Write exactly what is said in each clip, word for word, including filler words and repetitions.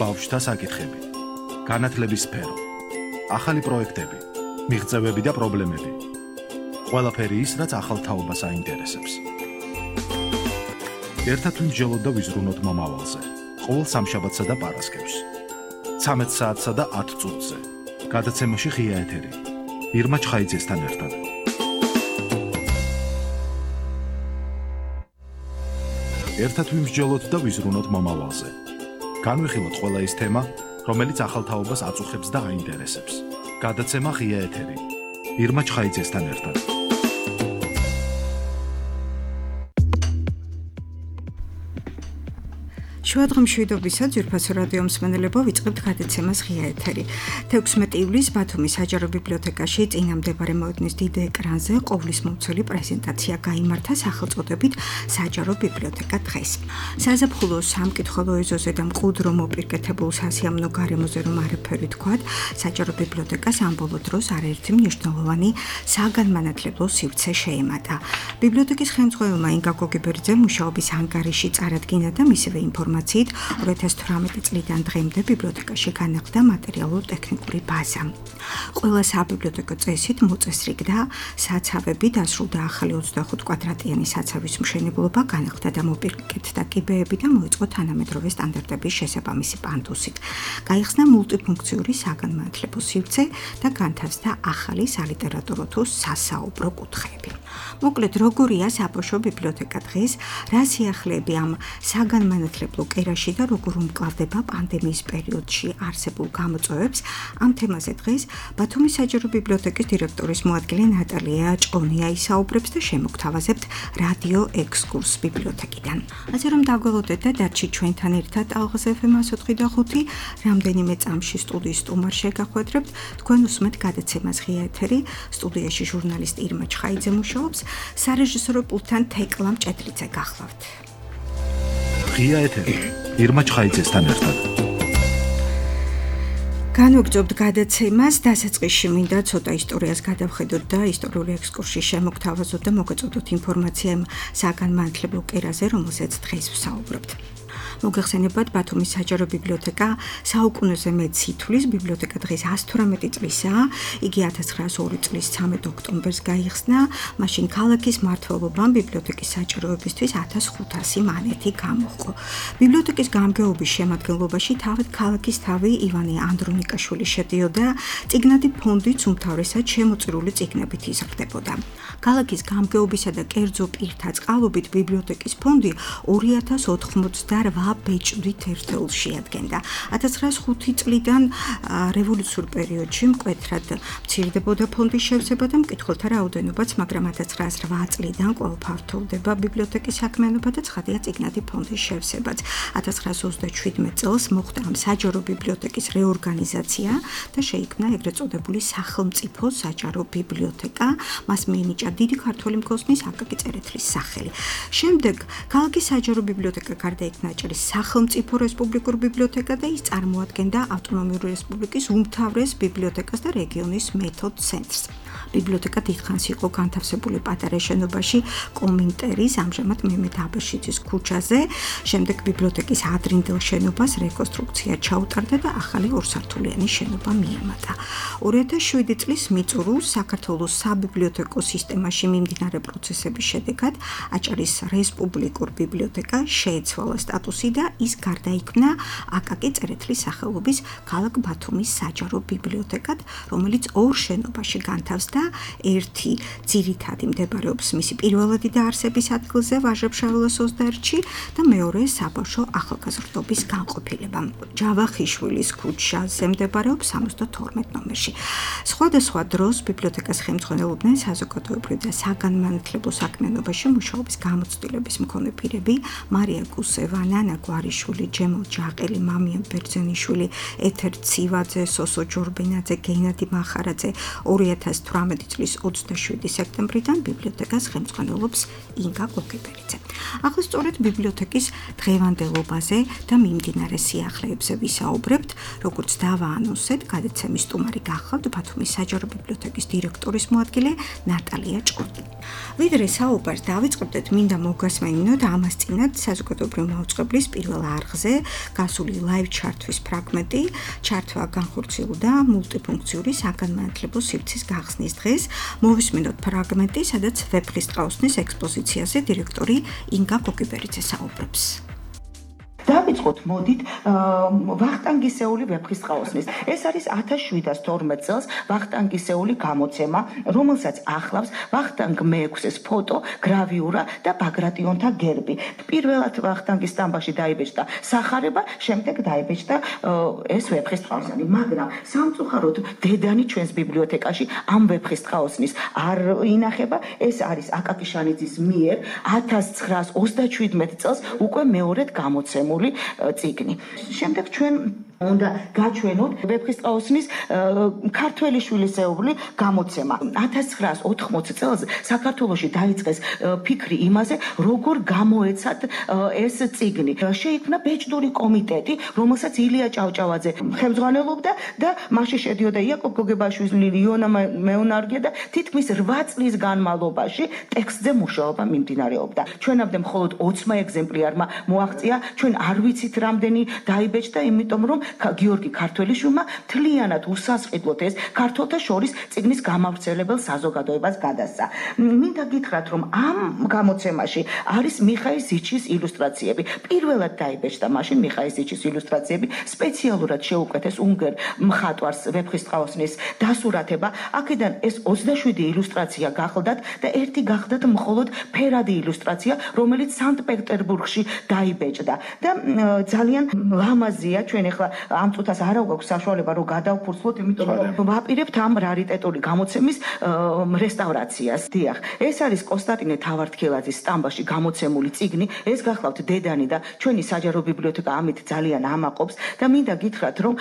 ბავშვთა საკითხები, განათლების სფერო, ახალი პროექტები, მიღწევები და პრობლემები. ყველაფერი ის, რაც ახალ თაობას აინტერესებს. ერთად ვიმსჯელოთ და ვიზრუნოთ მომავალზე. ყოველ სამშაბათსა და პარასკევს. ცამეტ საათსა და ათ წუთზე. გადაცემაში ღია ეთერი. ირმა ჩხაიძესთან ერთად. ერთად ვიმსჯელოთ და ვიზრუნოთ მომავალზე. განვიხილოთ ყველა ის თემა, რომელიც ახალ თაობას აწუხებს და აინტერესებს. გადაცემა ღია ეთერი. ირმა ჩხაიძესთან ერთად. შუადღემშვიდობისა ძვირფასო რადიო მსმენელებო, ვიწყებთ გადაცემას ღია ეთერი. თექვსმეტი ივლისს ბათუმის საჯარო ბიბლიოთეკაში წინამდებარე მოედნის დიდ ეკრანზე ყოვლისმომცველი პრეზენტაცია გაიმართა სახელწოდებით საჯარო ბიბლიოთეკა დღეს. საზაფხულო სამკითხველო ეზოზე და მყუდრო მოპირკეთებულ სასიამოვნო გარემოზე რომ არაფერი თქვათ, საჯარო ბიბლიოთეკას ამ ბოლო დროს არაერთი მნიშვნელოვანი საგანმანათლებლო სივრცე შეემატა. ბიბლიოთეკის ხელმძღვანელმა ინგა გოგებერძემ მუშაობის ანგარიში წარადგინა და მისივე ინფორმაცია ორი ათას თვრამეტი წლიდან დღემდე ბიბლიოთეკაში განახლდა მატერიალურ-ტექნიკური ბაზა. ყველა საბიბლიოთეკო წესით მოწესრიგდა საცავები, დასრულდა ახალი ოცდაოთხ კვადრატიანი საცავის მშენებლობა, განახლდა და მოპირკეთდა კიბეები და მოიწყო თანამედროვე სტანდარტების შესაბამისი პანდუსით. გაიხსნა მულტიფუნქციური საგანმანათლებლო სივრცე და განთავსდა ახალი სალიტერატურო თუ სასაუბრო კუთხეები. მოკლედ, როგორია საბავშვო ბიბლიოთეკა დღეს, რა სიახლეები ამ საგანმანათლებლო კერაში და როგორ უმკლავდება პანდემიის პერიოდში არსებულ გამოწვევებს, ამ თემაზე დღეს ბათუმის საჯარო ბიბლიოთეკის დირექტორის მოადგილე ნატალია ჭყონია ისაუბრებს და შემოგთავაზებთ რადიო ექსკურსს ბიბლიოთეკიდან. ასე რომ დაგველოდეთ და დარჩით ჩვენთან ერთად ალღაზ ეფ ემ ათს ოთხი და ხუთი, რამდენიმე წამში სტუდიის სტუმარს შეგახვედრებთ, თქვენ უსმენთ გადაცემას ღია ეთერი, სტუდიაში ჟურნალისტ ირმა ჩხაიძე მუშაობს, სარეჟისორო პულტთან თეკლა მჭედლიძე გახლავთ. ღია ეთერი. ირმა ჩხაიძესთან ერთად. განვაგრძობთ გადაცემას, დასაწყისში მინდა ცოტა ისტორიას გადავხედოთ და ისტორიული ექსკურსში შემოგთავაზოთ და მოგეწოდოთ ინფორმაცია იმ საგანმანათლებლო კერაზე, რომელზეც დღეს ვსაუბრობთ. მოგეხსენებათ, ბათუმის საჯარო ბიბლიოთეკა საუკუნეზე მეტ სითვლის ბიბლიოთეკა დღეს ათას თვრამეტი წლისაა. იგი ათას ცხრაასი ორი წლის ცამეტ ოქტომბერს გაიხსნა. მაშინ ქალაქის მმართველობამ ბიბლიოთეკის საჭიროებისთვის ათას ხუთასი მანეთი გამოჰყო. ბიბლიოთეკის გამგეობის შემადგენლობაში თავად ქალაქის თავი ივანე ანდრონიკაშვილი შედიოდა, წიგნადი ფონდიც უმთავრესად შემოწირული წიგნებით იზრდებოდა. ქალაქის გამგეობისა და კერძო პირთა წყალობით ბიბლიოთეკის ფონდი ორი ათას ოთხმოცდარვა ბეჭდვით ერთეულს შეადგენდა. ათას ცხრაასი ხუთი წლიდან რევოლუციურ პერიოდში მკვეთრად მცირდებოდა ფონდის შევსება და მკითხველთა რაოდენობაც, მაგრამ ათას ცხრაასი რვა წლიდან კვლავ ფართოვდება ბიბლიოთეკის საქმიანობა და ცხადია წიგნადი ფონდის შევსებაც. ათას ცხრაასი ოცდაშვიდმეტ წელს მოხდა ამ საჯარო ბიბლიოთეკის რეორგანიზაცია და შეიქმნა ეგრეთ წოდებული სახელმწიფო საჯარო ბიბლიოთეკა. მას მიენიჭა დიდი ქართველი მგოსნის აკაკი წერეთლის სახელი. შემდეგ ქალაქის საჯარო ბიბლიოთეკა გარდაიქმნა სახელმწიფო რესპუბლიკურ ბიბლიოთეკა და ის წარმოადგენდა ავტონომიური რესპუბლიკის უმთავრეს ბიბლიოთეკას და რეგიონის მეთოდ ცენტრს. ბიბლიოთეკა დიდხანს იყო განთავსებული პატარა შენობაში კომინტერის, ამჟამად მემედ აბაშიძის ქუჩაზე. შემდეგ ბიბლიოთეკის ადრინდელ შენობას რეკონსტრუქცია ჩაუტარდა და ახალი ორსართულიანი შენობა მიემატა. ორი ათას შვიდი წლის მიწურულს საქართველოს საბიბლიოთეკო სისტემაში მიმდინარე პროცესების შედეგად აჭარის რესპუბლიკურ ბიბლიოთეკა შეეცვალა სტატუსი და ის გარდაიქმნა აკაკი წერეთლის სახელობის ქალაქ ბათუმის საჯარო ბიბლიოთეკად, რომელიც ორ შენობაში განთავსდა. ერთი ძირითადი მდებარეობს მისი პირველადი დაარსების ადგილზე ვაჟა-ფშაველას ოცდაერთში და მეორე საბავშვო ახალგაზრდობის განყოფილება. ჯავახიშვილის ქუჩაზე მდებარეობს სამოცდათორმეტ ნომერში. სხვადასხვა დროს ბიბლიოთეკას ხელმძღვანელობდნენ საზოგადოებრივ და საგანმანათლებლო საქმიანობაში მუშაობის გამოცდილების მქონე პირები, მარია გუსევა, ნანა გვარიშვილი, ჯემალ ჯაყელი, მამიან ბერძენიშვილი, ეთერ ცივაძე, სოსო ჯორბენაძე, გენადი მახარაძე. ორი ათას თვრამეტი წლის ოცდაშვიდი სექტემბრიდან ბიბლიოთეკას ხელმძღვანელობს ინგა გოგებერიძე. ახლა სწორედ ბიბლიოთეკის დღევანდელობაზე და მიმდინარე სიახლეებზე ვისაუბრებთ, როგორც დავაანონსეთ, გადაცემის სტუმარი გახლავთ ბათუმის საჯარო ბიბლიოთეკის დირექტორის მოადგილე ნატალია ჭყონია. ვიდრე საუბარს დავიწყებდეთ, მინდა მოგასმენინოთ ამას წინათ საზოგადოებრივ მაუწყებლის მაუწყებლის პირველ არხზე გასული live ჩარტვის ფრაგმენტი. ჩარტვა განხორციელდა მულტიფუნქციური საგანმანათლებლო სივრცის გახსნის დღეს. მოვისმინოთ ფრაგმენტი, სადაც ვეფხისტყაოსნის ექსპოზიციაზე დირექტორი ინგა კოკიბერიძე საუბრობს. დავიწყოთ მოდით ვახტანგისეული ვეფხისტყაოსნის. ეს არის ათას შვიდას თორმეტ წელს ვახტანგისეული გამოცემა, რომელსაც ახლავს ვახტანგ მეექვსეს ფოტო, გრავიურა და ბაგრატიონთა გერბი. პირველად ვახტანგის სტამბაში დაიბეჭდა სახარება, შემდეგ დაიბეჭდა ეს ვეფხისტყაოსანი, მაგრამ სამწუხაროდ დედანი ჩვენს ბიბლიოთეკაში ამ ვეფხისტყაოსნის არ ინახება. ეს არის აკაკი შანიძის მიერ ათას ცხრაას ოცდაშვიდმეტ წელს უკვე მეორედ გამოცემული წიგნი. შემდეგ ჩვენ უნდა გაჩვენოთ ვეფხისტყაოსნის ქართველი შვილისეული გამოცემა. ათას ცხრაას ოთხმოცი წელს საქართველოში დაიწყეს ფიქრი იმაზე, როგორ გამოეცათ ეს წიგნი. შეიქმნა ბეჭდური კომიტეტი, რომელსაც ილია ჭავჭავაძე ხელმძღვანელობდა და მასში შედიოდა იაკობ გოგებაშვილი, იონა მეუნარგე და თითქმის რვა წლის განმავლობაში ტექსტზე მუშაობა მიმდინარეობდა. ჩვენამდე მხოლოდ ოცმა ეგზემპლიარმა მოაღწია, ჩვენ არ ვიცით რამდენი დაიბეჭდა, იმიტომ რომ გიორგი ქართველიშვილმა მთლიანად უსასყიდლოდ ეს ქართველთა შორის წიგნის გამავრცელებელ საზოგადოებას გადასცა. მინდა გითხრათ, რომ ამ გამოცემაში არის მიხაილ ზიჩის ილუსტრაციები. პირველად დაიბეჭდა მაშინ მიხაილ ზიჩის ილუსტრაციები, სპეციალურად შეუკვეთეს უნგერ მხატვარს ვეფხისტყაოსნის დასურათება. აქედან ეს ოცდაშვიდი ილუსტრაცია გახლდათ და ერთი გახლდათ მხოლოდ ფერადი ილუსტრაცია, რომელიც სანქტ-პეტერბურგში დაიბეჭდა. და ძალიან ლამაზია, ჩვენ ახლა ამ წუთას არ აქვს საშუალება რომ გადავფურცლოთ, იმიტომ რომ ვაპირებთ ამ რარიტეტული გამოცემის რესტავრაციას. დიახ, ეს არის კონსტანტინე თავართქელაძის სტამბაში გამოცემული წიგნი. ეს გახლავთ დედანი და ჩვენი საჯარო ბიბლიოთეკა ამით ძალიან ამაყობს და მინდა გითხრათ, რომ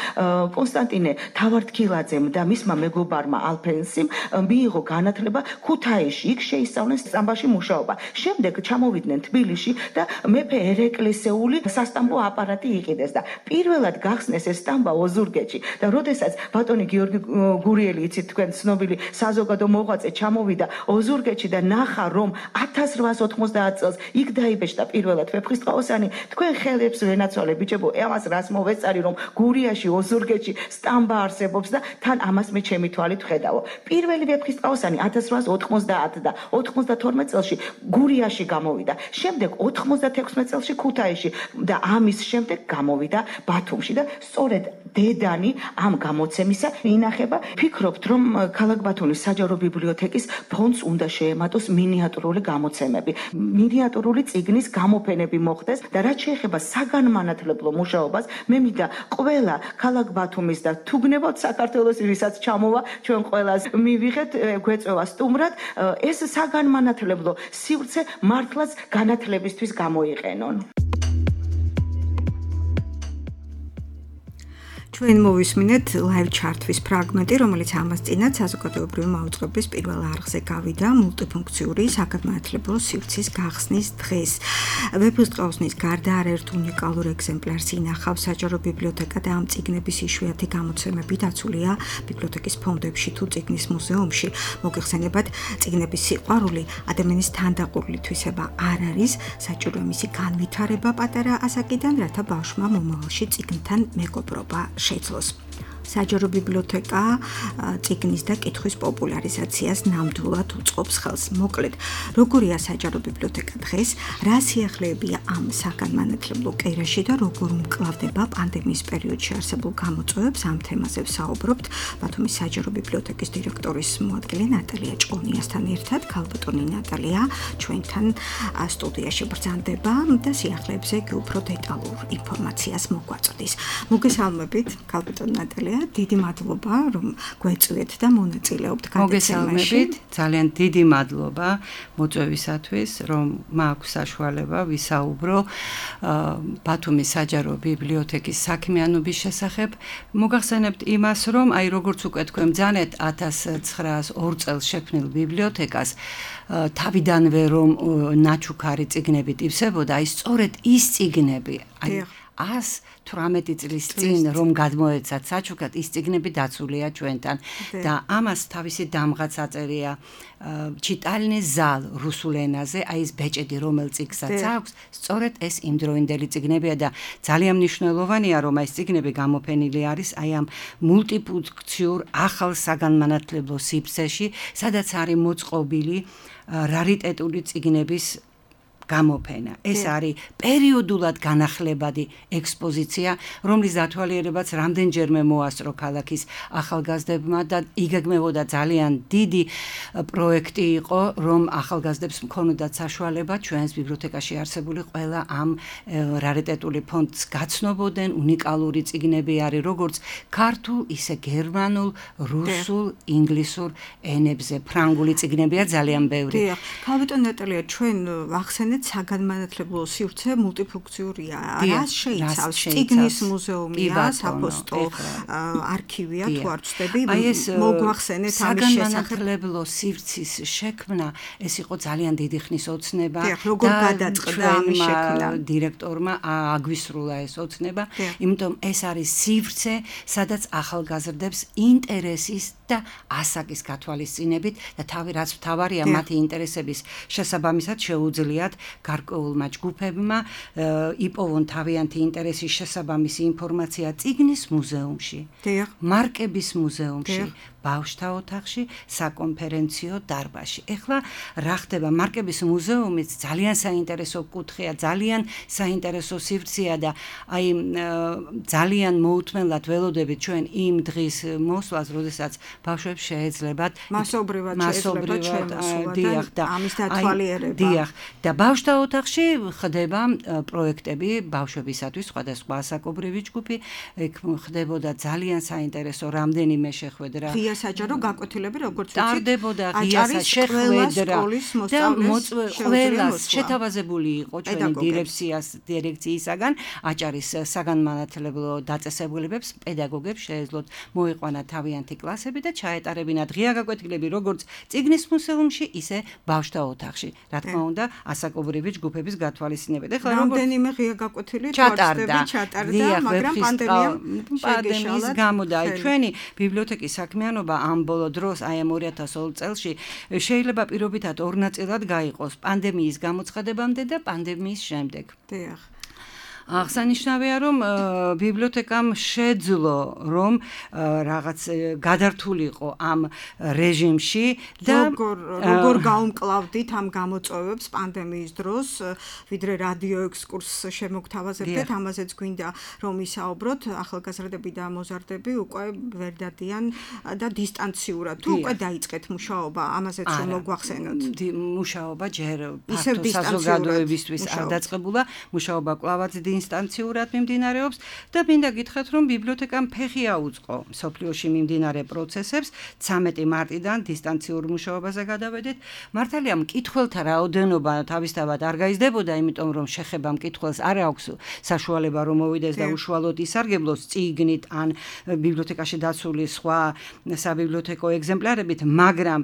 კონსტანტინე თავართქელაძემ და მისმა მეგობარმა ალფენსიმ მიიღო განათლება ქუთაისში, იქ შეისწავლეს სტამბაში მუშაობა. შემდეგ ჩამოვიდნენ თბილისში და მეფე ერეკლესეული სასტამბო აპარატი იყიდეს და პირველად გახსნეს ეს სტამბა ოზურგეთში და როდესაც ბატონი გიორგი გურიელი, იცით თქვენ ცნობილი საზოგადო მოღვაწე, ჩამოვიდა ოზურგეთში და ნახა, რომ ათას რვაას ოთხმოცდაათ წელს იქ დაიბეჭდა პირველად ვეფხისტყაოსანი, თქვენ ხელებს ვენაცვალე ბიჭებო, ამას რას მოვეწარი, რომ გურიაში ოზურგეთში სტამბა არსებობს და თან ამას მე ჩემი თვალით ვხედავო. პირველი ვეფხისტყაოსანი ათას რვაას ოთხმოცდაათ და ოთხმოცდათორმეტ წელში გურიაში გამოვიდა. შემდეგ ოთხმოცდათექვსმეტ წელში ქუთაისში და ამის შემდეგ გამოვიდა ბათუმში და სწორედ დედანი ამ გამოცემისა ინახება. ფიქრობთ, რომ ქალაქ ბათუმის საჯარო ბიბლიოთეკის ფონდს უნდა შეემატოს მინიატურული გამოცემები, მინიატურული წიგნის გამოფენები მოხდეს და რაც შეეხება საგანმანათლებლო მუშაობას, მე მინდა ყველა ქალაქ ბათუმის და თუ გნებავთ საქართველოს, ვისაც ჩამოვა, ჩვენ ყველას მივიღეთ, გვეწევა სტუმრად, ეს საგანმანათლებლო სივრცე მართლაც განათლებისთვის გამოიყენონ. ჩვენ მოვისმინეთ live ჩარტვის ფრაგმენტი, რომელიც ამას წინათ საზოგადოებრივი მაუწყებლის პირველ არხზე გავიდა მულტიფუნქციური საგანმანათლებლო სივრცის გახსნის დღეს. ვეფხისტყაოსნის გარდა არაერთ უნიკალურ ეგზემპლარს ინახავს საჯარო ბიბლიოთეკა და ამ წიგნების იშვიათი გამოცემები დაცულია ბიბლიოთეკის ფონდებში თუ წიგნის მუზეუმში. მოგეხსენებათ, წიგნების სიყვარული ადამიანის თანდაყოლილი თვისება არ არის, საჭიროა მისი განვითარება პატარა ასაკიდან, რათა ბავშვმა მომავალში წიგნთან მეგობრობა შეძლოს. საჯარო ბიბლიოთეკა წიგნის და კითხვის პოპულარიზაციას ნამდვილად უწყობს ხელს. მოკლედ, როგორია საჯარო ბიბლიოთეკა დღეს, რა სიახლეებია ამ საგანმანათლებლო კერაში და როგორ უმკლავდება პანდემიის პერიოდში არსებულ გამოწვევებს, ამ თემაზე ვსაუბრობთ ბათუმის საჯარო ბიბლიოთეკის დირექტორის მოადგილე ნატალია ჭყონიასთან ერთად. ქალბატონი ნატალია ჩვენთან სტუდიაში ბრძანდება და სიახლეებზე კი უფრო დეტალურ ინფორმაციას მოგვაწვდის. მოგესალმებით, ქალბატონი ნატალია. დიდი მადლობა, რომ გვეწვიეთ და მონაწილეობთ გადაცემაში. ძალიან დიდი მადლობა მოწვევისათვის, რომ მაქვს საშუალება ვისაუბრო ბათუმის საჯარო ბიბლიოთეკის საქმიანობის შესახებ. მოგახსენებთ იმას, რომ აი როგორც უკვე თქვენ ბრძანეთ ათას ცხრაას ორ წელს შექმნილ ბიბლიოთეკას თავიდანვე რომ ნაჩუქარი წიგნებით ივსებოდა, აი სწორედ ის წიგნები, აი ას თვრამეტი წლის წინ რომ გადმოეცათ საჩუქრად, ის წიგნები დაცულია ჩვენთან და ამას თავისი დამღაც აწერია ჩიტალნე ზალ რუსულ ენაზე, აი ეს ბეჭედი რომელ წიგნსაც აქვს, სწორედ ეს იმდროინდელი წიგნებია და ძალიან მნიშვნელოვანია რომ ეს წიგნები გამოფენილი არის აი ამ მულტიფუნქციურ ახალ საგანმანათლებლო სივრცეში, სადაც არის მოწყობილი რარიტეტული წიგნების გამოფენა. ეს არის პერიოდულად განახლებადი ექსპოზიცია, რომლის დათვალიერებაც რამდენჯერმე მოასწრო ქალაქის ახალგაზრდებმა და იგეგმებოდა ძალიან დიდი პროექტი იყო, რომ ახალგაზრდებს მქონოდათ საშუალება ჩვენს ბიბლიოთეკაში არსებული ყველა ამ რარიტეტული ფონდს გაცნობოდნენ, უნიკალური წიგნები არის როგორც ქართულ, ისე გერმანულ, რუსულ, ინგლისურ ენებზე. ფრანგული წიგნებია ძალიან ბევრი. დიახ, ქალბატონ ნატალია, ჩვენ ვახსენეთ საგანმანათლებლო სივრცე მულტიფუნქციურია. რას შეიცავს? წიგნის მუზეუმია, საფოსტო არქივია, თუ არ ვცდები, მოგვახსენეთ ამის შესახებ. საგანმანათლებლო სივრცის შექმნა, ეს იყო ძალიან დიდი ხნის ოცნება და გადაწყდა ამის შექმნა. დირექტორმა აგვისრულა ეს ოცნება, იმიტომ ეს არის სივრცე, სადაც ახალგაზრდებს ინტერესის და ასაკის გათვალისწინებით და თავი რაც მთავარია მათი ინტერესების შესაბამისად შეუძლიათ გარკვეულმა ჯგუფებმა იპოვონ თავიანთი ინტერესის შესაბამისი ინფორმაცია წიგნის მუზეუმში, მარკების მუზეუმში, ბავშვთა ოთახში, საკონფერენციო დარბაზში. ეხლა რა ხდება? მარკების მუზეუმიც ძალიან საინტერესო კუთხეა, ძალიან საინტერესო სივრცეა და აი ძალიან მოუთმენლად ველოდებით ჩვენ იმ დღის მოსვლას, როდესაც ბავშვებს შეეძლებათ მასობრივად შეეძლებათ დიახ და ამის დათვალიერება. დიახ და ბავშვთა ოთახში ხდება პროექტები ბავშვებისათვის, სხვადასხვა ასაკობრივი ჯგუფი, ეგ ხდებოდა ძალიან საინტერესო რამდენიმე შეხვედრა. საჯარო გაკვეთილები, როგორც ვიცით, ტარდებოდა ღია შეხვედრა და ყველას შეთავაზებული იყო ჩვენი დირექციას დირექციისაგან აჭარის საგანმანათლებლო დაწესებულებებს, პედაგოგებს შეეძლოთ მოიყვანათ თავიანთი კლასები და ჩაეტარებინათ ღია გაკვეთილები როგორც წიგნის მუზეუმში, ისე ბავშვთა ოთახში. რა თქმა უნდა, ასაკობრივი ჯგუფების გათვალისწინებით. ეხლა რამდენიმე ღია გაკვეთილი ჩატარდა, მაგრამ პანდემიის გამო და აი ჩვენი ბიბლიოთეკის საქმიანობა ამ ბოლო დროს, აი ამ ორი ათას ორი წელში შეიძლება პირობითად ორ ნაწილად გაიყოს, პანდემიის გამოცხადებამდე და პანდემიის შემდეგ. დიახ. აღსანიშნავია, რომ ბიბლიოთეკამ შეძლო, რომ რაღაც გადართულიყო ამ რეჟიმში და როგორ გაუმკლავდით ამ გამოწვევებს პანდემიის დროს, ვიდრე რადიო ექსკურსს შემოგთავაზებდეთ, ამაზეც გვინდა რომ ისაუბროთ, ახალგაზრდები და მოზარდები უკვე ვერ დადიან და დისტანციურად თუ უკვე დაიწყეთ მუშაობა, ამაზეც რომ მოგვახსენოთ. მუშაობა ჯერ ფართო საზოგადოებისთვის არ დაწყებულა, მუშაობა კვლავაც ინსტანციურად მიმდინარეობს და მინდა გითხრათ, რომ ბიბლიოთეკამ ფეხი აუწყო სოფლიოში მიმდინარე პროცესებს. ცამეტი მარტიდან დისტანციურ მუშაობაზე გადავედით. მართალია, მკითხველთა რაოდენობა თავისთავად არ გაიზრდებოდა, იმიტომ რომ შეხება მკითხველს არ აქვს საშუალება რომ მოვიდეს და უშუალოდ ისარგებლოს წიგნით ან ბიბლიოთეკაში დაცული სხვა საბიბლიოთეკო ეგზემპლარებით, მაგრამ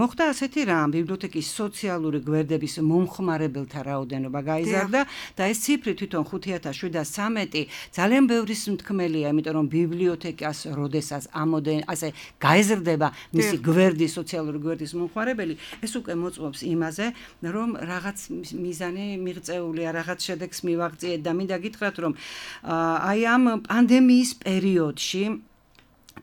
მოხდა ასეთი რამ, ბიბლიოთეკის სოციალური გვერდების მომხმარებელთა რაოდენობა გაიზარდა და ეს ციფრი თვითონ ხუთი ათას შვიდას ცამეტი ძალიან ბევრის მთქმელია, იმიტომ რომ ბიბლიოთეკას როდესაც ამოდენ ასე გაეზრდება მისი გვერდი, სოციალური გვერდის მომხმარებელი, ეს უკვე მოწმობს იმაზე, რომ რაღაც მიზანი მიღწეულია, რაღაც შედეგს მივაღწიეთ და მინდა გითხრათ, რომ აი ამ პანდემიის პერიოდში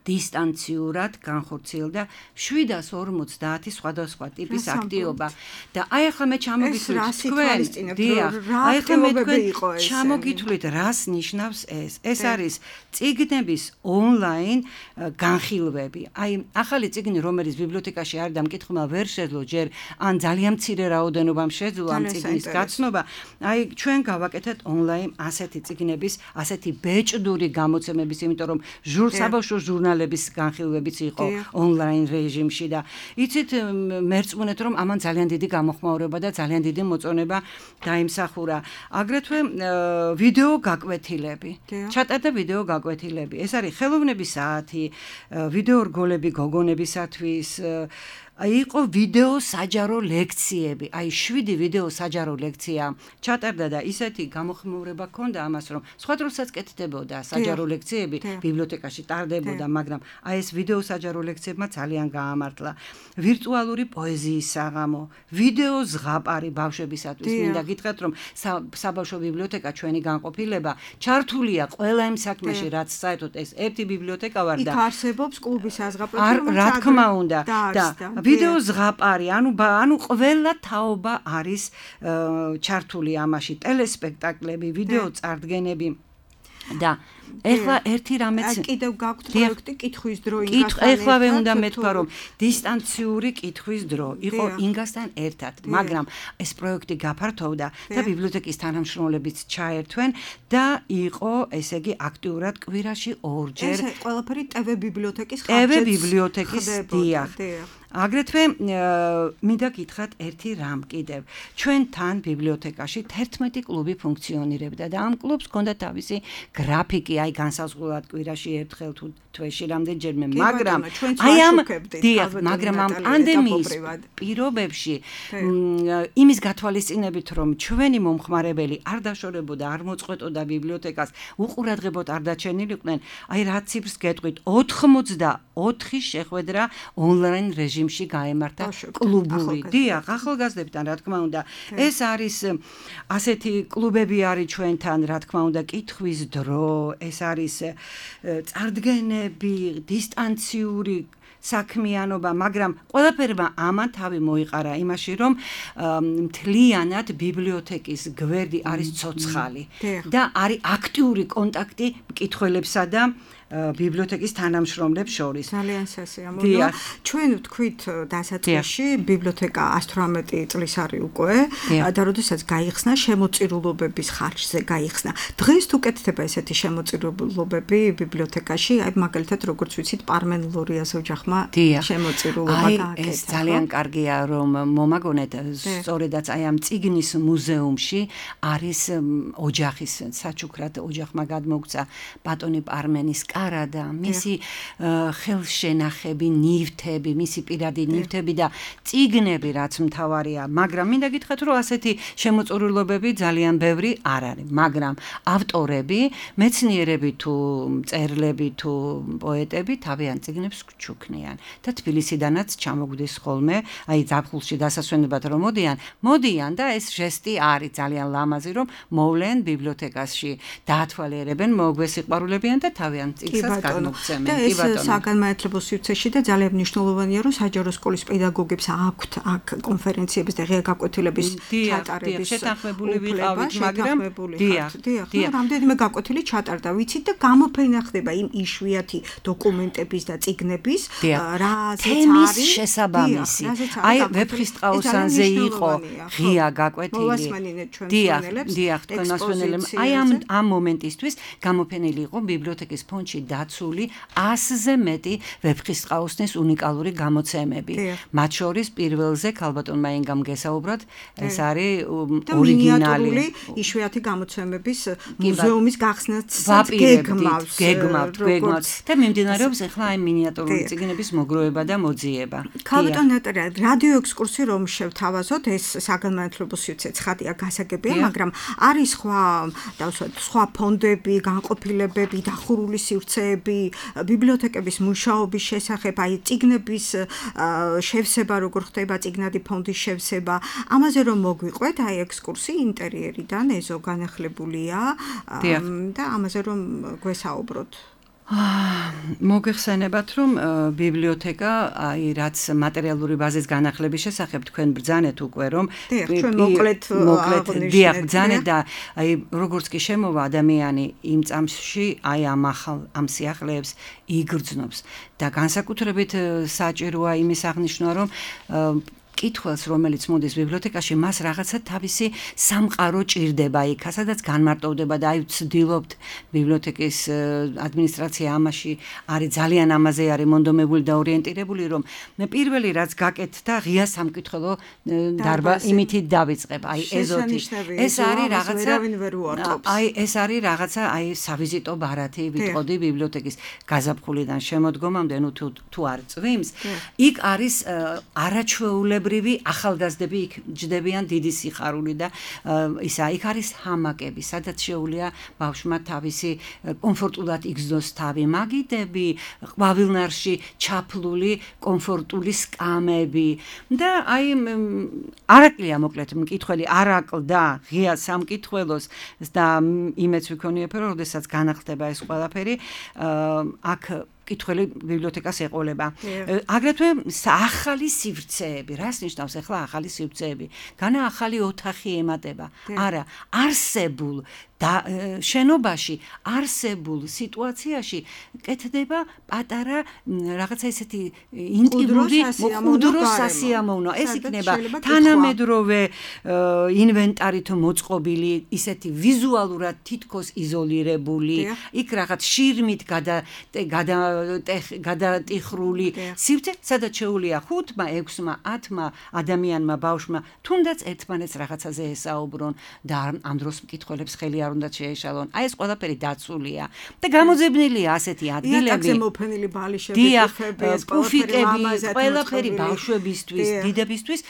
დისტანციურად განხორციელდა შვიდას ორმოცდაათი სხვადასხვა ტიპის აქტივობა და აი ახლა მე ჩამოგითვლით თქვენ, დიახ, აი ახლა მე თქვენ ჩამოგითვლით რას ნიშნავს ეს. ეს არის წიგნების ონლაინ განხილვები. აი ახალი წიგნი, რომელიც ბიბლიოთეკაში არის და მკითხველმა ვერ შეძლო ჯერ ან ძალიან მცირე რაოდენობამ შეძლო ამ წიგნის გაცნობა, აი ჩვენ გავაკეთეთ ონლაინ ასეთი წიგნების, ასეთი ბეჭდური გამოცემების, იმიტომ რომ საბავშვო ჟურნალების განხილვებიც იყო ონლაინ რეჟიმში და იცით მერწმუნეთ რომ ამან ძალიან დიდი გამოხმაურება და ძალიან დიდი მოწონება დაიმსახურა. აგრეთვე ვიდეო გაკვეთილები. ჩატარდა ვიდეო გაკვეთილები. ეს არის ხელოვნების საათი, ვიდეო რგოლები გოგონებისათვის, იყო ვიდეო საჯარო ლექციები. აი შვიდი ვიდეო საჯარო ლექცია ჩატარდა და ისეთი გამოხმაურება ჰქონდა ამას, რომ სხვა დროსაც კეთდებოდა საჯარო ლექციები, ბიბლიოთეკაში ტარდებოდა, მაგრამ აი ეს ვიდეო საჯარო ლექციებმა ძალიან გაამართლა. ვირტუალური პოეზიის საღამო, ვიდეო ზღაპარი ბავშვებისათვის. მინდა გითხრათ, რომ საბავშვო ბიბლიოთეკა ჩვენი განყოფილება ჩართულია ყველა იმ საქმეში, რაც საერთოდ ეს ერთი ბიბლიოთეკა ვარ და იქ არსებობს კლუბის საზღაპრები, რა თქმა უნდა და ვიდეო ზღაპარი, ანუ ანუ ყველა თაობა არის ჩართული ამაში, ტელესპექტაკლები, ვიდეო წარდგენები და ეხლა ერთი რამეც კიდევ გაქვთ პროექტი კითხვის დრო ინგასთან. ეხლავე უნდა მეთქვა, რომ დისტანციური კითხვის დრო იყო ინგასთან ერთად, მაგრამ ეს პროექტი გაფართოვდა და ბიბლიოთეკის თანამშრომლებიც ჩაერთვენ და იყო, ესე იგი, აქტიურად კვირაში ორჯერ. ეს ყველაფერი ტევ ბიბლიოთეკის ხარჯზე. ტევ ბიბლიოთეკის დიახ. აგრეთვე მინდა გითხრათ ერთი რამ კიდევ. ჩვენ თან ბიბლიოთეკაში თერთმეტი კლუბი ფუნქციონირებდა და ამ კლუბს ჰქონდა თავისი გრაფიკი, აი განსაზღვრულად კვირაში ერთხელ თუ თვეში რამდენჯერმე, მაგრამ აი ამ დიახ, მაგრამ ამ პანდემიის პირობებში იმის გათვალისწინებით, რომ ჩვენი მომხმარებელი არ დაშორებოდა, არ მოწყვეტოდა ბიბლიოთეკას, უყურადღებოდ არ დაჩენილიყვნენ, აი რა ციფრს გეტყვით, ოთხმოცდაოთხი შეხვედრა ონლაინ რეჟიმში გაემართა კლუბური. დიახ, ახალგაზრდებთან, რა თქმა უნდა, ეს არის ასეთი კლუბები არის ჩვენთან, რა თქმა უნდა, კითხვის დრო, ეს არის წარდგენები, დისტანციური საქმიანობა, მაგრამ ყველაფერმა ამან თავი მოიყარა იმაში, რომ მთლიანად ბიბლიოთეკის გვერდი არის ცოცხალი და არის აქტიური კონტაქტი მკითხველებსა და ბიბლიოთეკის თანამშრომლებს შორის. ძალიან სასიამოვნოა. ჩვენ ვთქვით დასაწყისში, ბიბლიოთეკა ათი რამეტი წლის არის უკვე და როდესაც გაიხსნა შემოწირულობების ხარჯზე გაიხსნა. დღეს თუ კეთდება ესეთი შემოწირულობები ბიბლიოთეკაში, აი მაგალითად როგორც ვიცით, პარმენლორიას ოჯახმა შემოწირულობა გააკეთა. ეს ძალიან კარგია, რომ მომაგონეთ, სწორედაც აი ამ წიგნის მუზეუმში არის ოჯახის საჩუქრად ოჯახმა გადმოგცა ბატონი პარმენის კარადა, მისი ხელშენახები, ნივთები, მისი პირადი ნივთები და წიგნები, რაც მთავარია, მაგრამ მინდა გითხრათ, რომ ასეთი შემოწირულობები ძალიან ბევრი არ არის, მაგრამ ავტორები, მეცნიერები თუ მწერლები თუ პოეტები თავიანთ წიგნებს ჩუქნიან და თბილისიდანაც ჩამოგვდის ხოლმე, აი ზაფხულში დასასვენებლად რომ მოდიან, მოდიან და ეს ჟესტი არის ძალიან ლამაზი, რომ მოვლენ ბიბლიოთეკაში, დაათვალიერებენ, მოგვესიყვარულებიან და თავიანთ წიგნს გადმოგცემენ. და ეს საგანმანათლებლო სივრცეში და ძალიან მნიშვნელოვანია, რომ საჯარო სკოლის პედაგოგებს აქვთ აქ კონფერენციების და ღია გაკვეთილების ჩატარების შეთანხმებული ვიყავით, მაგრამ დიახ, დიახ, რამდენიმე გაკვეთილი ჩატარდა, ვიცით და გამოფენა ხდება იმ იშვიათი დოკუმენტების და წიგნების, რაზეც არის შესაბამისი. აი ვეფხისტყაოსანზე იყო ღია გაკვეთილი. დიახ, დიახ, თქვენ მასვენელებს. აი ამ ამ მომენტისთვის გამოფენილი იყო ბიბლიოთეკის ფონდში დაცული ასზე მეტი ვეფხისტყაოსნის უნიკალური გამოცემები. მათ შორის პირველზე ქალბატონმა ენგამ გესაუბროთ, ეს არის ორიგინალი იშვიათი გამოცემების მუზეუმის გახსნაც გეგმავს, გეგმავს, გეგმავს და მიმდინარეობს ახლა აი მინიატურული წიგნების მოგროვება და მოძიება. ქალბატონ ნატალია, რადიო ექსკურსი რომ შევთავაზოთ, ეს საგანმანათლებლო სივრცე ცხადია, გასაგებია, მაგრამ არის სხვა, დავსვათ, სხვა ფონდები, განყოფილებები, დახურული სივრცეები, ბიბლიოთეკების მუშაობის შესახებ, აი წიგნების შევსება, როგორ ხდება წიგნადი ფონდის შევსება, ამაზე რომ მოგვიყვეთ, აი ექსკურსი ინტერიერიდან ეზო განახლებულია და ამაზე რომ გვესაუბროთ. მოგეხსენებათ, რომ ბიბლიოთეკა, აი რაც მატერიალური ბაზის განახლების შესახებ თქვენ ბრძანეთ უკვე, რომ მოკლედ დიახ, ბრძანეთ და აი როგორც კი შემოვა ადამიანი იმ წამსში, აი ამ ახალ ამ სიახლეებს იგრძნობს და განსაკუთრებით საჭიროა იმის აღნიშვნა, რომ მკითხველს, რომელიც მოდის ბიბლიოთეკაში, მას რაღაცა თავისი სამყარო ჭირდება იქ, სადაც განმარტოვდება და აი ვცდილობთ ბიბლიოთეკის ადმინისტრაცია ამაში არის ძალიან ამაზე არის მონდომებული და ორიენტირებული, რომ პირველი რაც გაკეთდა, ღია სამკითხველო დარბა იმითი დავიწყებ, აი ეზოთი. ეს არის რაღაცა აი ეს არის რაღაცა აი სავიზიტო ბარათი ვიტყოდი ბიბლიოთეკის გაზაფხულიდან შემოდგომამდე, ნუ თუ თუ არ წვიმს, იქ არის არაჩვეულებრივი ახალგაზრდები იქ ჯდებიან დიდი სიხარული და ისა იქ არის ჰამაკები, სადაც შეუძლია ბავშვმა თავისი კომფორტულად იგრძნოს თავი, მაგიდები, ყვავილნარში ჩაფლული კომფორტული სკამები და აი არაკლია მოკლედ მკითხველი არაკლდა ღია სამკითხველოს და იმეც ვიქონიებ რომ როდესაც განახლდება ეს ყველაფერი აქ კითხველი ბიბლიოთეკას ეყოლება. აგრეთვე ახალი სივრცეები, რას ნიშნავს ახლა ახალი სივრცეები? განა ახალი ოთახი ემატება. არა, არსებულ და შენობაში არსებულ სიტუაციაში კეთდება პატარა რაღაცა ისეთი ინტიმური მკვდრო სასიამოვნო. ეს იქნება თანამედროვე ინვენტარით მოწყობილი, ისეთი ვიზუალურად თითქოს იზოლირებული, იქ რაღაც შირმით გადა გადა გადატიხრული სივრცე, სადაც შეუძლია ხუთმა, ექვსმა, ათმა ადამიანმა ბავშვმა თუნდაც ერთმანეთს რაღაცაზე ესაუბრონ და ამ დროს მკითხველებს ხელი არ უნდა შეეშალონ. აი ეს ყველაფერი დაცულია და გამოძებნილია ასეთი ადგილები. იატაკზე მოფენილი ბალიშები, პუფიკები, ყველაფერი ბავშვებისთვის, დიდებისთვის,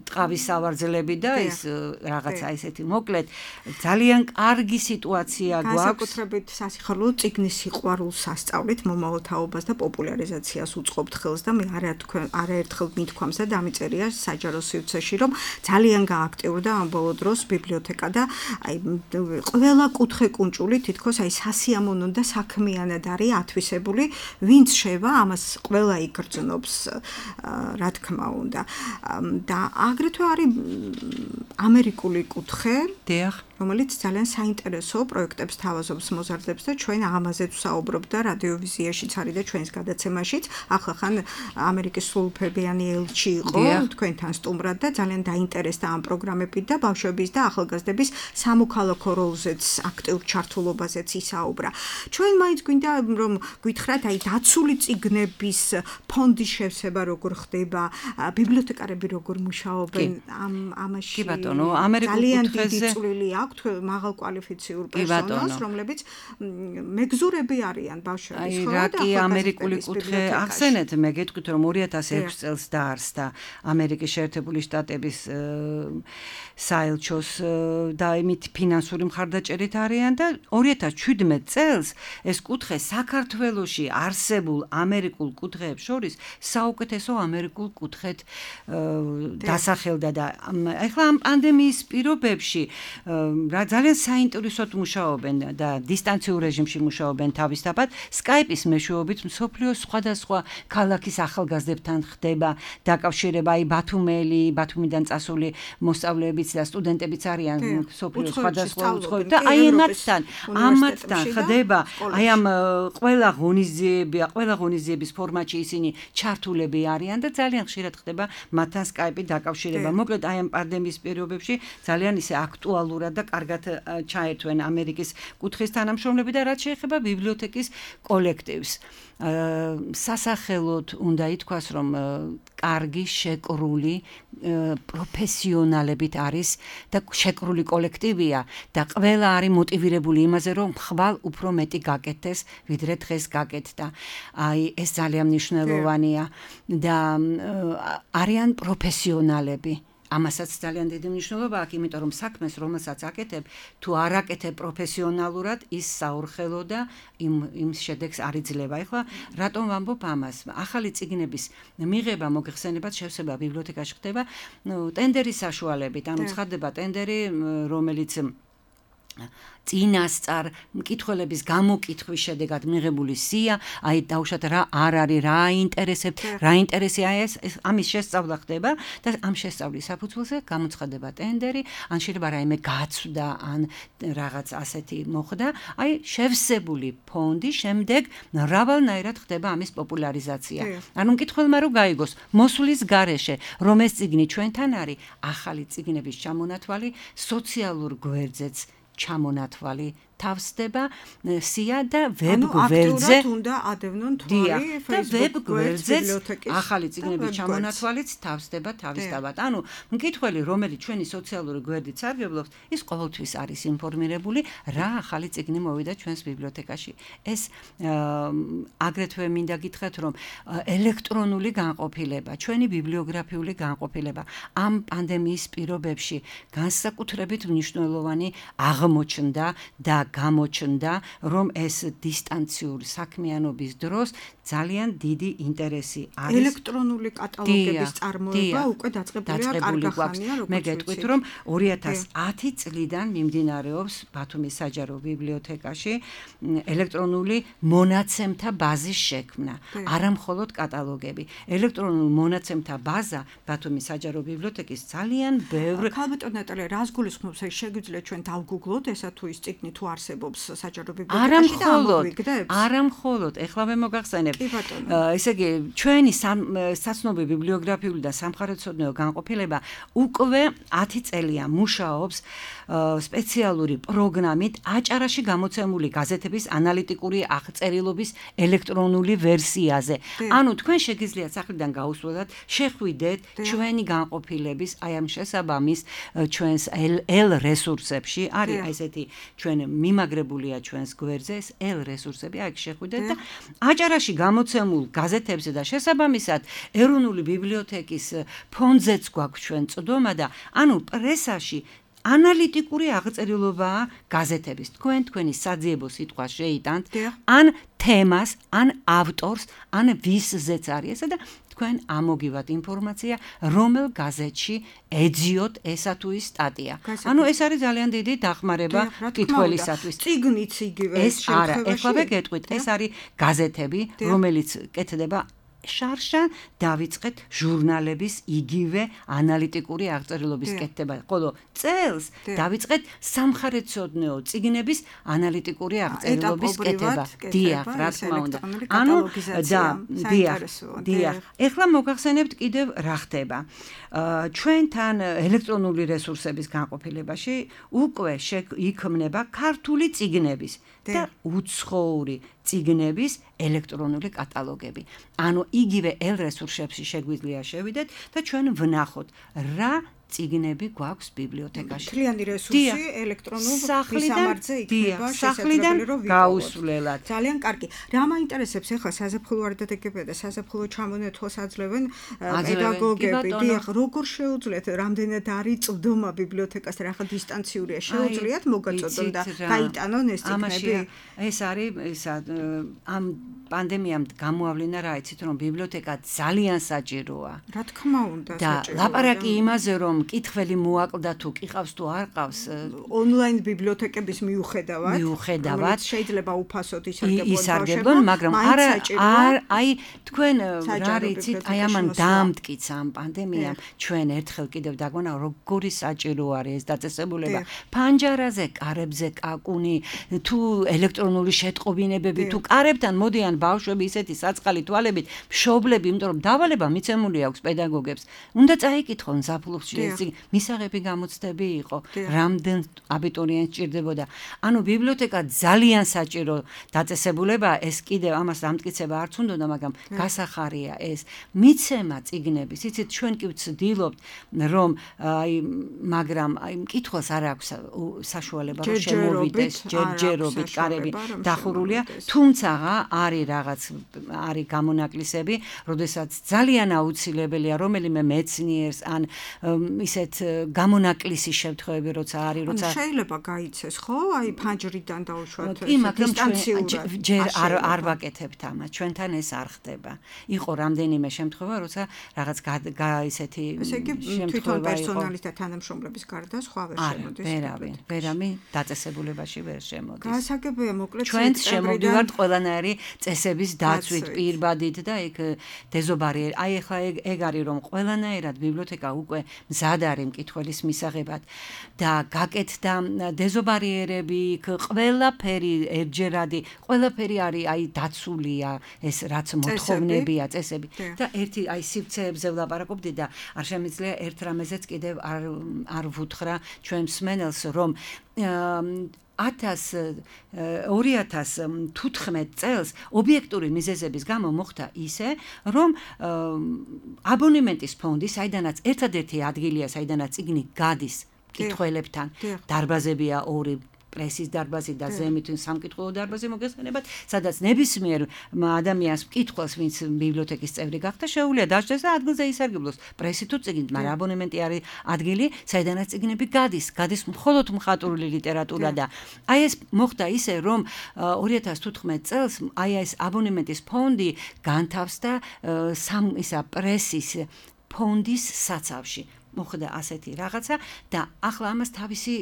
ტყავის სავარძლები და ეს რაღაცა ესეთი მოკლედ ძალიან კარგი სიტუაცია გვაქვს. განსაკუთრებით სასიხარულო წიგნის სიყვარულს სასწავლით მომავალ თაობას და პოპულარიზაციას უწყობთ ხელს და მე არაერთხელ მithქვამს და დამიწერია საჯარო სივრცეში, რომ ძალიან გააქტიურდა ამ ბოლო დროს ბიბლიოთეკა და აი ყველა კუთხე კუნჭული თითქოს აი სასიამოვნო და საქმიანად არის ათვისებული, ვინც შევა, ამას ყველა იგრძნობს, რა თქმა უნდა. და აგრეთვე არის ამერიკული კუთხე, დიახ, რომელიც ძალიან საინტერესო პროექტებს თავაზობს, მოზარდებს და ჩვენ ამაზეც ვსაუბრობთ და რადიოვიზიაშიც არის და ჩვენს გადაცემაშიც. ახლა ხან ამერიკის სრულუფლებიანი ელჩი იყო თქვენთან სტუმრად და ძალიან დაინტერესდა ამ პროგრამებით და ბავშვების და ახალგაზრდების სამოქალაქო როლზეც, აქტიურ ჩართულობაზეც ისაუბრა. ჩვენ მაინც გვინდა რომ გითხრათ, აი დაცული წიგნების ფონდის შევსება როგორ ხდება, ბიბლიოთეკარები როგორ მუშაობენ ამ ამაში. კი ბატონო, ამერიკულ კუთხეზე ძალიან დიდი წვლილი აქვს მაღალ კვალიფიციურ პერსონალს, რომლებიც მეგზურები არიან ბავშვების ხო და კი ამერიკული კუთხე ახსენეთ, მე გეტყვით რომ ორი ათას ექვსი წელს დაარსდა ამერიკის შეერთებული შტატების საელჩოს და იმით ფინანსური მხარდაჭერით არიან და ორი ათას ჩვიდმეტ წელს ეს კუთხე საქართველოში არსებულ ამერიკულ კუთხეებს შორის საუკეთესო ამერიკულ კუთხედ დასახელდა და ეხლა ამ პანდემიის პირობებში რა ძალიან საინტერესოდ მუშაობენ და დისტანციურ რეჟიმში მუშაობენ თავისთავად Skype-ის მეშვეობით მსოფლიოს სხვადასხვა ქალაქის ახალგაზრდებთან ხდება დაკავშირება აი ბათუმელი, ბათუმიდან წასული მოსწავლეებიც და სტუდენტებიც არიან მსოფლიოს სხვადასხვა უცხოური და აი ამათთან, ამათთან ხდება აი ამ ყველა ღონისძიება, ყველა ღონისძიების ფორმატში ისინი ჩართულები არიან და ძალიან ხშირად ხდება მათთან Skype-ით დაკავშირება. მოკლედ აი ამ პანდემიის პირობებში ძალიან ისე აქტუალურად და კარგად ჩაერთვენ ამერიკის კუთხის თანამშრომლები და რაც შეეხება ბიბლიოთეკის კოლექტივს. სასახელოდ უნდა ითქვას, რომ კარგი შეკრული პროფესიონალებით არის და შეკრული კოლექტივია და ყველა არის მოტივირებული იმაზე, რომ ხვალ უფრო მეტი გაკეთდეს, ვიდრე დღეს გაკეთდა. აი ეს ძალიან მნიშვნელოვანია და არიან პროფესიონალები. ამასაც ძალიან დიდი მნიშვნელობა აქვს, იმიტომ რომ საქმეს, რომელსაც აკეთებ, თუ არ აკეთებ პროფესიონალურად, ის საურხელო და იმ იმ შედეგს არ იძლევა. ეხლა რატომ ვამბობ ამას? ახალი წიგნების მიღება, მოგეხსენებათ, შევსება ბიბლიოთეკაში ხდება, ნუ ტენდერის საშუალებით, ანუ ცხადდება ტენდერი, რომელიც წინასწარ მკითხველების გამოკითხვის შედეგად მიღებული სია, აი დავუშვათ რა არ არის, რა აინტერესებთ, რა ინტერესია ეს, ამის შესწავლა ხდება და ამ შესწავლის საფუძველზე გამოცხადება ტენდერი, ან შეიძლება რაიმე გაცვდა, ან რაღაც ასეთი მოხდა, აი შევსებული ფონდი შემდეგ მრავალნაირად ხდება ამის პოპულარიზაცია. ანუ მკითხველმა რო გაიგოს მოსვლის გარეშე, რომ ეს წიგნი ჩვენთან არის, ახალი წიგნების ჩამონათვალი სოციალურ გვერდზეც ჩამონათვალი თავსდება სია და ვებ გვერდზე უნდა ადევნონ თვალი Facebook გვერდზე ახალი წიგნების ჩამონათვალიც თავსდება თავისთავად. ანუ მკითხველი, რომელიც ჩვენი სოციალური გვერდით სარგებლობს, ის ყოველთვის არის ინფორმირებული, რა ახალი წიგნი მოვიდა ჩვენს ბიბლიოთეკაში. ეს აგრეთვე მინდა გითხრათ, რომ ელექტრონული განყოფილება, ჩვენი ბიბლიოგრაფიული განყოფილება ამ პანდემიის პირობებში განსაკუთრებით მნიშვნელოვანი აღმოჩნდა და გამოჩნდა, რომ ეს დისტანციური საქმიანობის დროს ძალიან დიდი ინტერესი არის. ელექტრონული კატალოგების წარმოება უკვე დაწყებულია კარგახანია, როგორც მე გეტყვით, რომ ორი ათას ათი წლიდან მიმდინარეობს ბათუმის საჯარო ბიბლიოთეკაში ელექტრონული მონაცემთა ბაზის შექმნა, არა მხოლოდ კატალოგები. ელექტრონული მონაცემთა ბაზა ბათუმის საჯარო ბიბლიოთეკის ძალიან ბევრ ქალბატონ ნატალია, რას გულისხმობს, ეს შეგვიძლია ჩვენ დავგუგლოთ ესა თუ ის წიგნი თუ არსებობს საჯარო ბიბლიოთეკაში და ამოგვიგდებს? არა მხოლოდ, ეხლა მე მოგახსენებ. ესე იგი, ჩვენი საცნობი ბიბლიოგრაფიული და სამხარეთმცოდნეო განყოფილება უკვე ათი წელია მუშაობს სპეციალური პროგრამით აჭარაში გამოცემული გაზეთების ანალიტიკური აღწერილობის ელექტრონული ვერსიაზე. ანუ თქვენ შეგიძლიათ სახლიდან გაუსვლელად, შეხვიდეთ ჩვენი განყოფილების აი ამ შესაბამის ჩვენს ელ რესურსებში, არის ესეთი ჩვენ მიმაგრებულია ჩვენს გვერდზე ეს ელ რესურსები, აქ შეხვიდეთ და აჭარაში გამოცემულ გაზეთებზე და შესაბამისად ეროვნული ბიბლიოთეკის ფონდზეც გვაქვს ჩვენ წვდომა და ანუ პრესაში ანალიტიკური აღწერილობაა გაზეთების. თქვენ თქვენი საძიებო სიტყვა შეიტანთ ან თემას, ან ავტორს, ან ვისზეც არის ესა და თქვენ ამოგივათ ინფორმაცია, რომელ გაზეთში ეძიოთ ესა თუ ის სტატია. ანუ ეს არის ძალიან დიდი დახმარება მკითხველისათვის. წიგნიც იგივე ეს არა, ეხლა გეტყვით, ეს არის გაზეთები, რომელიც კეთდება შარშან დავიწყეთ ჟურნალების იგივე ანალიტიკური აღწერილობის კეთება. ხოლო წელს დავიწყეთ სამხარეთმცოდნეო წიგნების ანალიტიკური აღწერილობის კეთება. დიახ, რა თქმა უნდა. ანუ და დიახ, დიახ. ეხლა მოგახსენებთ კიდევ რა ხდება. ჩვენთან ელექტრონული რესურსების განყოფილებაში უკვე იქმნება ქართული წიგნების და უცხოური წიგნების ელექტრონული კატალოგები. ანუ იგივე ელ რესურსებში შეგვიძლია შევიდეთ და ჩვენ ვნახოთ რა წიგნები გვაქვს ბიბლიოთეკაში. მთლიანი რესურსი ელექტრონულ მისამართზე იქნება შესაძლებელი რომ გაუსვლელად. ძალიან კარგი. რა მაინტერესებს ახლა საზაფხულო არდადეგებია და საზაფხულო ჩამონათვალს აძლევენ პედაგოგები. დიახ, როგორ შეუძლიათ, რამდენად არის წვდომა ბიბლიოთეკას, რა დისტანციურია, შეუძლიათ მოგაწოდონ და გაიტანონ ეს წიგნები? ეს არის ისა ამ პანდემიამ გამოავლინა რა იცით რომ ბიბლიოთეკა ძალიან საჭიროა. რა თქმა უნდა, საჭიროა. და ლაპარაკი იმაზე რომ მკითხველი მოაკლდა თუ ყავს თუ არ ყავს ონლაინ ბიბლიოთეკების მიუხედავად მიუხედავად შეიძლება უფასოდ ისარგებლონ, მაგრამ არა არ აი თქვენ რა რიცით აი ამან დაამტკიცა ამ პანდემიამ ჩვენ ერთხელ კიდევ დაგვანა როგორი საჭირო არის ეს დაწესებულება. ფანჯარაზე, კარებზე კაკუნი, თუ ელექტრონული შეტყობინებები, თუ კარებთან მოდიან ბავშვები ისეთი საწყალი თვალებით, მშობლები, იმიტომ რომ დავალება მიცემული აქვს პედაგოგებს. უნდა წაიკითხონ საფულუხში ეს მისაღები გამოცდები იყო, რამდენ აბიტურიენტს ჭირდებოდა. ანუ ბიბლიოთეკა ძალიან საჭირო დაწესებულებაა, ეს კიდევ ამას დამტკიცება არც უნდა, მაგრამ გასახარია ეს მიცემა წიგნების. იცით, ჩვენ კი ვცდილობთ, რომ აი მაგრამ აი მკითხველს არ აქვს საშუალება რომ შემოვიდეს ჯერჯერობით კარები დახურულია, თუმცა არის რაღაც არის გამონაკლისები, როდესაც ძალიან აუცილებელია რომელიმე მეცნიერს ან ისეთ გამონაკლისი შემთხვევები როცა არის, როცა შეიძლება გაიცეს, ხო? აი ფანჯრიდან დაუშვათ დისტანციურად. ჯერ არ არ ვაკეთებთ ამას, ჩვენთან ეს არ ხდება. იყო რამდენიმე შემთხვევა, როცა რაღაც ისეთი ესე იგი თვითონ პერსონალის და თანამშრომლების გარდა სხვა ვერ შემოდის. ვერავინ, ვერავინ დაწესებულებაში ვერ შემოდის. გასაგებია, მოკლედ ჩვენ შემოვდივართ ყველანაირი წესების დაცვით, პირბადით და იქ დეზობარი. აი ახლა ეგ არის რომ ყველანაირად ბიბლიოთეკა უკვე მზად არის მკითხველის მისაღებად და გაკეთდა დეზობარიერები, იქ ყველაფერი ერთჯერადი, ყველაფერი არის აი დაცულია ეს რაც მოთხოვნებია წესები და ერთი აი სივრცეებზე ვლაპარაკობდი და არ შემიძლია ერთ რამეზეც კიდევ არ არ ვუთხრა ჩვენ მსმენელს რომ ორი ათას თუთხმეტ წელს ობიექტური მიზეზების გამო მოხდა ისე, რომ აბონემენტის ფონდი, საიდანაც ერთადერთი ადგილია, საიდანაც წიგნი გადის მკითხველებთან, დარბაზებია ორი პრესის დარბაზი და ზემით სამკითხველო დარბაზი მოგესალმებათ, სადაც ნებისმიერ ადამიანს მკითხველს, ვინც ბიბლიოთეკის წევრი გახდა, შეუძლია დაჭდეს და ადგილზე ისარგებლოს პრესი თუ წიგნით, მაგრამ აბონემენტი არის ადგილი, საიდანაც წიგნები გადის, გადის მხოლოდ მხატვრული ლიტერატურა და აი ეს მოხდა ისე, რომ ორი ათას თუთხმეტ წელს აი ეს აბონემენტის ფონდი განთავსდა სამ ისა პრესის ფონდის საცავში. მოხდა ასეთი რაღაცა და ახლა ამას თავისი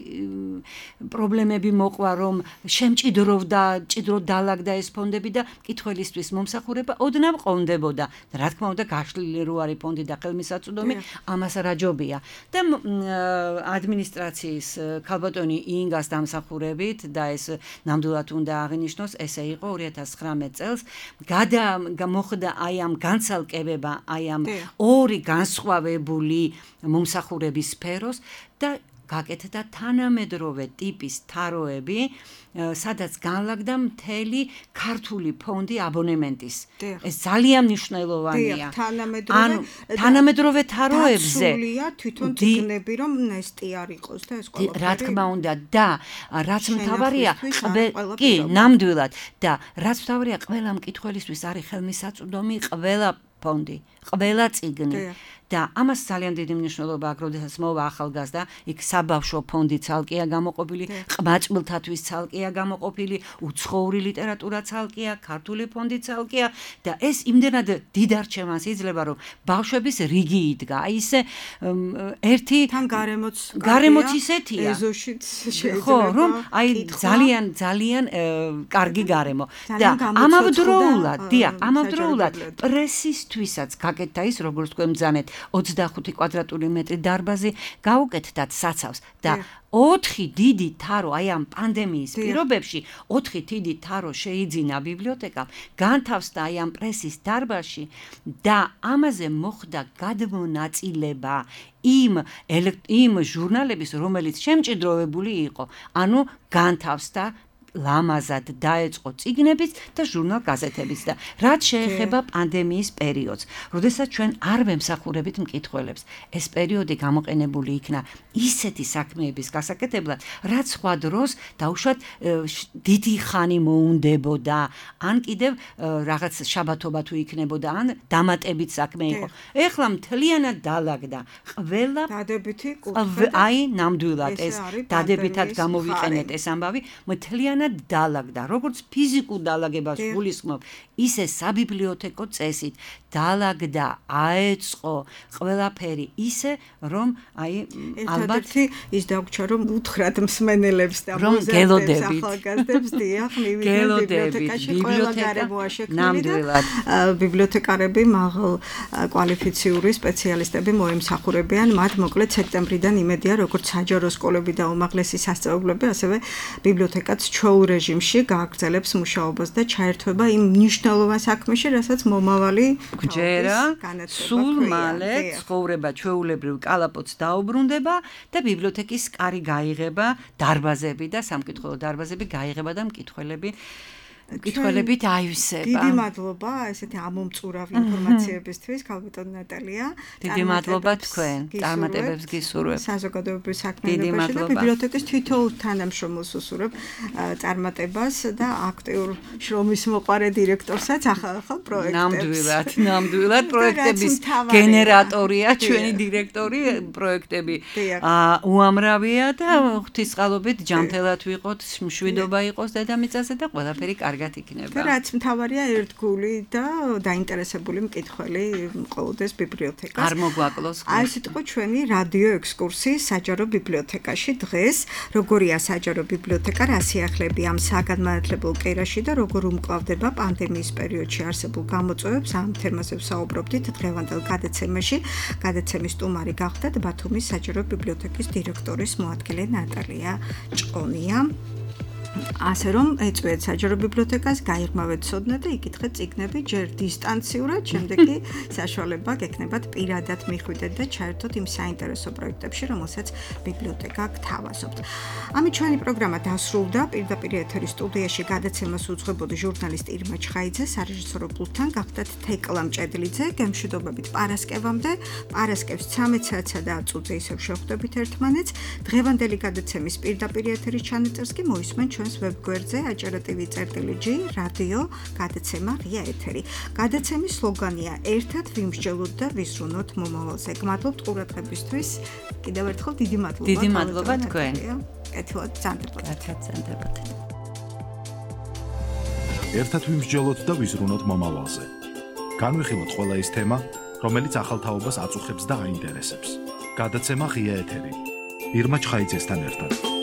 პრობლემები მოყვა, რომ შემჭიდროვდა, ჭიდროდ დაალაგდა ეს ფონდები და მკითხველისთვის მომსახურება ოდნავ ყონდებოდა. რა თქმა უნდა, გაშლილი რო არის ფონდი და ხელმისაწვდომი, ამას რაჯობია. და ადმინისტრაციის ქალბატონი ინგას დამსახურებით და ეს ნამდვილად უნდა აღინიშნოს, ესე იყო ორი ათას ცხრამეტ წელს გადა მოხდა აი ამ განცალკევება, აი ამ ორი განსხვავებული მომსახურების სფეროს და გაკეთდა თანამედროვე ტიპის თაროები, სადაც განლაგდა მთელი ქართული ფონდი აბონემენტის. ეს ძალიან მნიშვნელოვანია. ანუ თანამედროვე თაროებზე დაცულია თვითონ წიგნები, რომ ნესტი არ იყოს და ეს ყველაფერი. რა თქმა უნდა და რაც მთავარია, კი, ნამდვილად და რაც მთავარია, ყველა მკითხველისთვის არის ხელმისაწვდომი ყველა ფონდი, ყველა წიგნი. და ამას ძალიან დიდი მნიშვნელობა აქვს, როდესაც მოვა ახალგაზრდა, იქ საბავშვო ფონდი ცალკეა გამოყოფილი, ყმაწვილთათვის ცალკეა გამოყოფილი, უცხოური ლიტერატურა ცალკეა, ქართული ფონდი ცალკეა და ეს იმდენად დიდ არჩევანს იძლევა, რომ ბავშვების რიგი იდგა. აი ისე ერთი თან გარემოც გარემოც ისეთია. ეზოშიც შეიძლება. ხო, რომ აი ძალიან ძალიან კარგი გარემო და ამავდროულად, დიახ, ამავდროულად პრესისთვისაც გაკეთდა ის, როგორც თქვენ ბრძანეთ, ოცდახუთი კვადრატული მეტრი დარბაზი გაუკეთდათ საცავს და ოთხი დიდი თარო აი ამ პანდემიის პირობებში ოთხი დიდი თარო შეიძინა ბიბლიოთეკამ, განთავსდა აი ამ პრესის დარბაზში და ამაზე მოხდა გადმონაწილება იმ იმ ჟურნალების, რომელიც შემჭიდროვებული იყო, ანუ განთავსდა ლამაზად დაეწყო წიგნების და ჟურნალ გაზეთების და რაც შეეხება პანდემიის პერიოდს, როდესაც ჩვენ არ ვემსახურებით მკითხველებს, ეს პერიოდი გამოყენებული იქნა ისეთი საქმეების გასაკეთებლად, რაც სხვა დროს დაუშვათ დიდი ხანი მოუნდებოდა, ან კიდევ რაღაც შაბათობა თუ იქნებოდა, ან დამატებით საქმე იყო. ეხლა მთლიანად დაალაგდა ყველა დადებითი კუთხე. აი ნამდვილად ეს დადებითად გამოვიყენეთ ეს ამბავი, მთლიანად დაალაგდა, როგორც ფიზიკურ დაალაგებას გულისხმობ, ისე საბიბლიოთეკო წესით დაალაგდა, აეწყო ყველაფერი ისე, რომ აი ალბათ ის დაგვრჩა, რომ უთხრათ მსმენელებს და მოზარდებს ახალგაზრდებს, დიახ, მივიდნენ ბიბლიოთეკაში, ყველა გარემოა შექმნილი და ბიბლიოთეკარები მაღალ კვალიფიციური სპეციალისტები მოემსახურებიან, მათ მოკლედ სექტემბრიდან იმედია, როგორც საჯარო სკოლები და უმაღლესი სასწავლებლები, ასევე ბიბლიოთეკაც ჩვეულ რეჟიმში გააგრძელებს მუშაობას და ჩაერთვება იმ მნიშვნელოვან საქმეში, რასაც მომავალი გჯერა, სულ მალე ცხოვრება ჩვეულებრივ კალაპოტს დაუბრუნდება და ბიბლიოთეკის კარი გაიღება, დარბაზები და სამკითხველო დარბაზები გაიღება და მკითხველები კითხველებით აივსება. დიდი მადლობა ესეთი ამომწურავი ინფორმაციებისთვის, ქალბატონ ნატალია. დიდი მადლობა თქვენ, წარმატებებს გისურვებ. საზოგადოებრივ საქმიანობაში და ბიბლიოთეკის თითოეულ თანამშრომელს უსურვებ წარმატებას და აქტიურ შრომის მოყარე დირექტორსაც ახალ-ახალ პროექტებს. ნამდვილად, ნამდვილად პროექტების გენერატორია ჩვენი დირექტორი, პროექტები უამრავია და ღვთისყალობით ჯანმრთელად ვიყოთ, მშვიდობა იყოს დედამიწაზე და ყველაფერი კარგად იქნება. და რაც მთავარია ერთგული და დაინტერესებული მკითხველი მყოლდეს ბიბლიოთეკას. არ მოგვაკლოს. აი ეს იყო ჩვენი რადიო ექსკურსი საჯარო ბიბლიოთეკაში დღეს. როგორია საჯარო ბიბლიოთეკა, რა სიახლეები ამ საგანმანათლებელ კერაში და როგორ უმკლავდება პანდემიის პერიოდში არსებულ გამოწვევებს, ამ თემაზე ვსაუბრობდით დღევანდელ გადაცემაში. გადაცემის სტუმარი გახდათ ბათუმის საჯარო ბიბლიოთეკის დირექტორის მოადგილე ნატალია ჭყონია. ასე რომ ეწვიეთ საჯარო ბიბლიოთეკას, გაიღრმავეთ ცოდნა და იკითხეთ წიგნები ჯერ დისტანციურად, შემდეგ კი საშუალება გექნებათ პირადად მიხვიდეთ და ჩაერთოთ იმ საინტერესო პროექტებში, რომელსაც ბიბლიოთეკა გთავაზობთ. ამით ჩვენი პროგრამა დასრულდა. პირდაპირ ეთერის სტუდიაში გადაცემას უძღვებოდი ჟურნალისტი ირმა ჩხაიძე, სარეჟისორო პულტთან გახდათ თეკლა მჭედლიძე. გემშვიდობებით პარასკევამდე. პარასკევს ცამეტ საათსა და ათ წუთზე ისევ შევხვდებით ერთმანეთს. დღევანდელი გადაცემის პირდაპირ ეთერის ჩანაწერს კი მოისმენთ ჩვენს ვებგვერდზე აჭარა.tv წერტილი ჯი რადიო გადაცემა ღია ეთერი. გადაცემის სლოგანია ერთად ვიმსჯელოთ და ვისრუნოთ მომავალზე. გმადლობთ ყურადღებისთვის. კიდევ ერთხელ დიდი მადლობა. დიდი მადლობა თქვენ. კეთილად ბრძანდებოდ. კეთილად ბრძანდებოდ. ერთად ვიმსჯელოთ და ვიზრუნოთ მომავალზე. განვიხილოთ ყველა ის თემა, რომელიც ახალ თაობას აწუხებს და აინტერესებს. გადაცემა ღია ეთერი. ირმა ჩხაიძესთან ერთად.